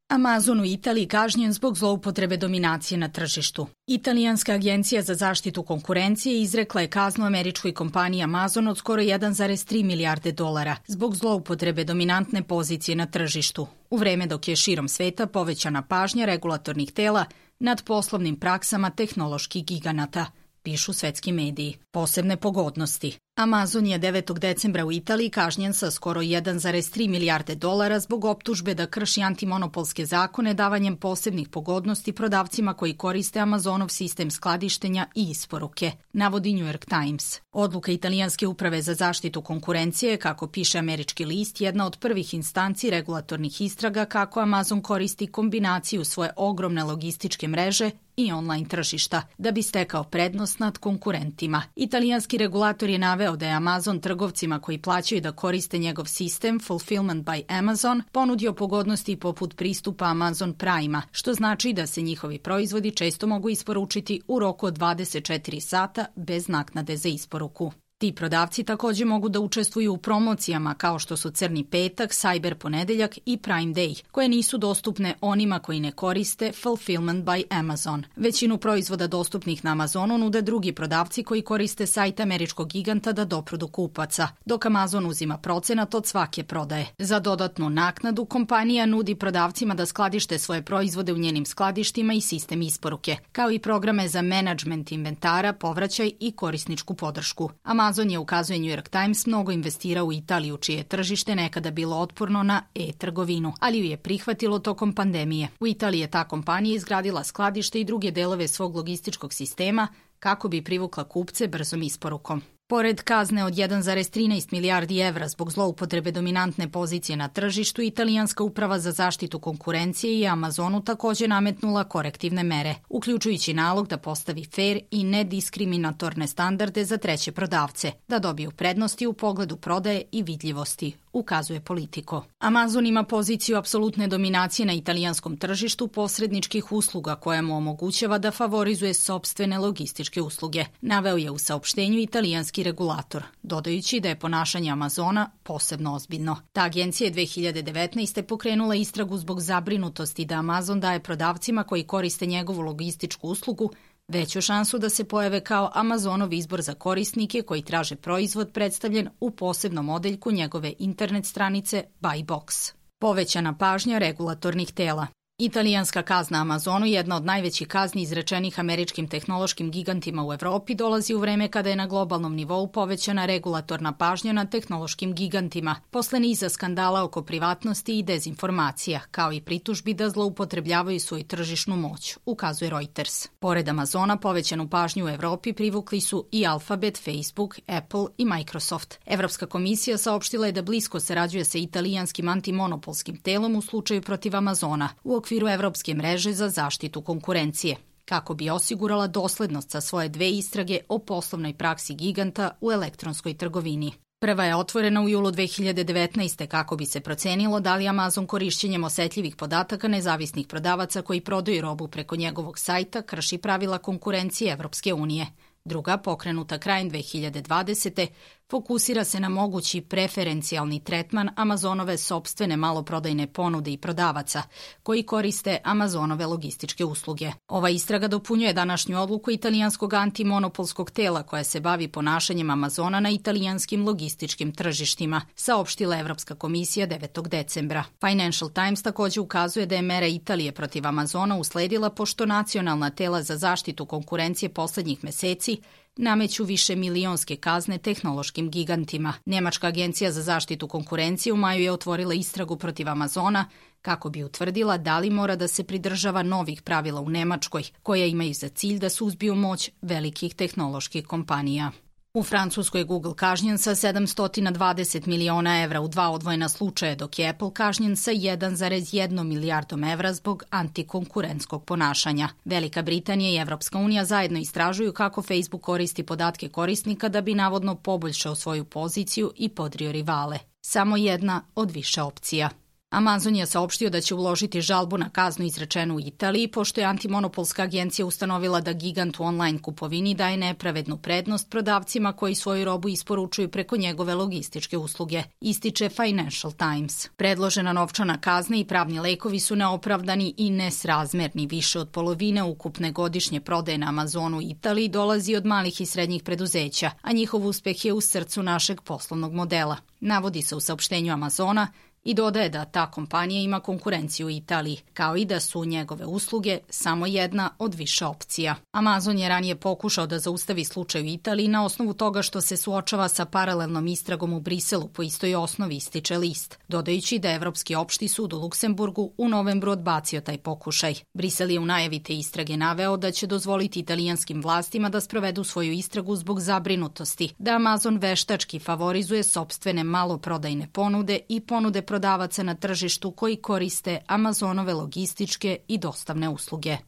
Amazon u Italiji kažnjen zbog zloupotrebe dominacije na tržištu. Italijanska agencija za zaštitu konkurencije izrekla je kaznu američkoj kompaniji Amazon od skoro 1,3 milijarde dolara zbog zloupotrebe dominantne pozicije na tržištu, u vreme dok je širom sveta povećana pažnja regulatornih tela nad poslovnim praksama tehnoloških giganata, pišu svetski mediji. Posebne pogodnosti. Amazon je 9. decembra u Italiji kažnjen sa skoro 1,3 milijarde dolara zbog optužbe da krši antimonopolske zakone davanjem posebnih pogodnosti prodavcima koji koriste Amazonov sistem skladištenja i isporuke, navodi New York Times. Odluka Italijanske uprave za zaštitu konkurencije, kako piše američki list, jedna od prvih instanci regulatornih istraga kako Amazon koristi kombinaciju svoje ogromne logističke mreže i online tržišta da bi stekao prednost nad konkurentima. Italijanski regulator je naveo da je Amazon trgovcima koji plaćaju da koriste njegov sistem Fulfillment by Amazon ponudio pogodnosti poput pristupa Amazon Prime-a, što znači da se njihovi proizvodi često mogu isporučiti u roku od 24 sata bez naknade za isporuku. Ti prodavci također mogu da učestvuju u promocijama kao što su Crni petak, Cyber ponedeljak i Prime Day, koje nisu dostupne onima koji ne koriste Fulfillment by Amazon. Većinu proizvoda dostupnih na Amazonu nude drugi prodavci koji koriste sajt američkog giganta da dopru do kupaca, dok Amazon uzima procenat od svake prodaje. Za dodatnu naknadu kompanija nudi prodavcima da skladište svoje proizvode u njenim skladištima i sistem isporuke, kao i programe za menadžment inventara, povraćaj i korisničku podršku. Amazon je, ukazuje New York Times, mnogo investirao u Italiju, čije je tržište nekada bilo otporno na e-trgovinu, ali ju je prihvatilo tokom pandemije. U Italiji je ta kompanija izgradila skladište i druge delove svog logističkog sistema kako bi privukla kupce brzom isporukom. Pored kazne od 1,13 milijardi evra zbog zloupotrebe dominantne pozicije na tržištu, Italijanska uprava za zaštitu konkurencije i Amazonu također nametnula korektivne mere, uključujući nalog da postavi fair i nediskriminatorne standarde za treće prodavce, da dobiju prednosti u pogledu prodaje i vidljivosti, ukazuje Politico. Amazon ima poziciju apsolutne dominacije na italijanskom tržištu posredničkih usluga koja mu omogućava da favorizuje sopstvene logističke usluge, naveo je u saopštenju italijanski regulator, dodajući da je ponašanje Amazona posebno ozbiljno. Ta agencija je 2019. pokrenula istragu zbog zabrinutosti da Amazon daje prodavcima koji koriste njegovu logističku uslugu veću šansu da se pojave kao Amazonov izbor za korisnike koji traže proizvod predstavljen u posebnom odeljku njegove internet stranice Buy Box. Povećana pažnja regulatornih tela. Italijanska kazna Amazonu, jedna od najvećih kazni izrečenih američkim tehnološkim gigantima u Evropi, dolazi u vreme kada je na globalnom nivou povećana regulatorna pažnja na tehnološkim gigantima, posle niza skandala oko privatnosti i dezinformacija, kao i pritužbi da zloupotrebljavaju svoju tržišnu moć, ukazuje Reuters. Pored Amazona, povećanu pažnju u Evropi privukli su i Alphabet, Facebook, Apple i Microsoft. Evropska komisija saopštila je da blisko sarađuje sa italijanskim antimonopolskim telom u slučaju protiv Amazona, u okviru Evropske mreže za zaštitu konkurencije, kako bi osigurala doslednost sa svoje dve istrage o poslovnoj praksi giganta u elektronskoj trgovini. Prva je otvorena u julu 2019. kako bi se procenilo da li Amazon korišćenjem osetljivih podataka nezavisnih prodavaca koji prodaju robu preko njegovog sajta krši pravila konkurencije Evropske unije. Druga, pokrenuta krajem 2020. fokusira se na mogući preferencijalni tretman Amazonove sopstvene maloprodajne ponude i prodavaca koji koriste Amazonove logističke usluge. Ova istraga dopunjuje današnju odluku italijanskog antimonopolskog tela koja se bavi ponašanjem Amazona na italijanskim logističkim tržištima, saopštila Evropska komisija 9. decembra. Financial Times također ukazuje da je mera Italije protiv Amazona usledila pošto nacionalna tela za zaštitu konkurencije poslednjih meseci nameću više milionske kazne tehnološkim gigantima. Njemačka agencija za zaštitu konkurencije u maju je otvorila istragu protiv Amazona kako bi utvrdila da li mora da se pridržava novih pravila u Nemačkoj, koja imaju za cilj da suzbiju moć velikih tehnoloških kompanija. U Francuskoj je Google kažnjen sa 720 miliona evra u dva odvojena slučaja, dok je Apple kažnjen sa 1,1 milijardom evra zbog antikonkurentskog ponašanja. Velika Britanija i Evropska unija zajedno istražuju kako Facebook koristi podatke korisnika da bi navodno poboljšao svoju poziciju i podrio rivale. Samo jedna od više opcija. Amazon je saopštio da će uložiti žalbu na kaznu izrečenu u Italiji, pošto je antimonopolska agencija ustanovila da gigant u online kupovini daje nepravednu prednost prodavcima koji svoju robu isporučuju preko njegove logističke usluge, ističe Financial Times. Predložena novčana kazna i pravni lekovi su neopravdani i nesrazmerni. Više od polovine ukupne godišnje prodaje na Amazonu u Italiji dolazi od malih i srednjih preduzeća, a njihov uspeh je u srcu našeg poslovnog modela. Navodi se u saopštenju Amazona i dodaje da ta kompanija ima konkurenciju u Italiji, kao i da su njegove usluge samo jedna od više opcija. Amazon je ranije pokušao da zaustavi slučaj u Italiji na osnovu toga što se suočava sa paralelnom istragom u Briselu po istoj osnovi, ističe list, dodajući da je Evropski opšti sud u Luksemburgu u novembru odbacio taj pokušaj. Brisel je u najavi te istrage naveo da će dozvoliti italijanskim vlastima da sprovedu svoju istragu zbog zabrinutosti, da Amazon veštački favorizuje sopstvene maloprodajne ponude i ponude prodavaca na tržištu koji koriste Amazonove logističke i dostavne usluge.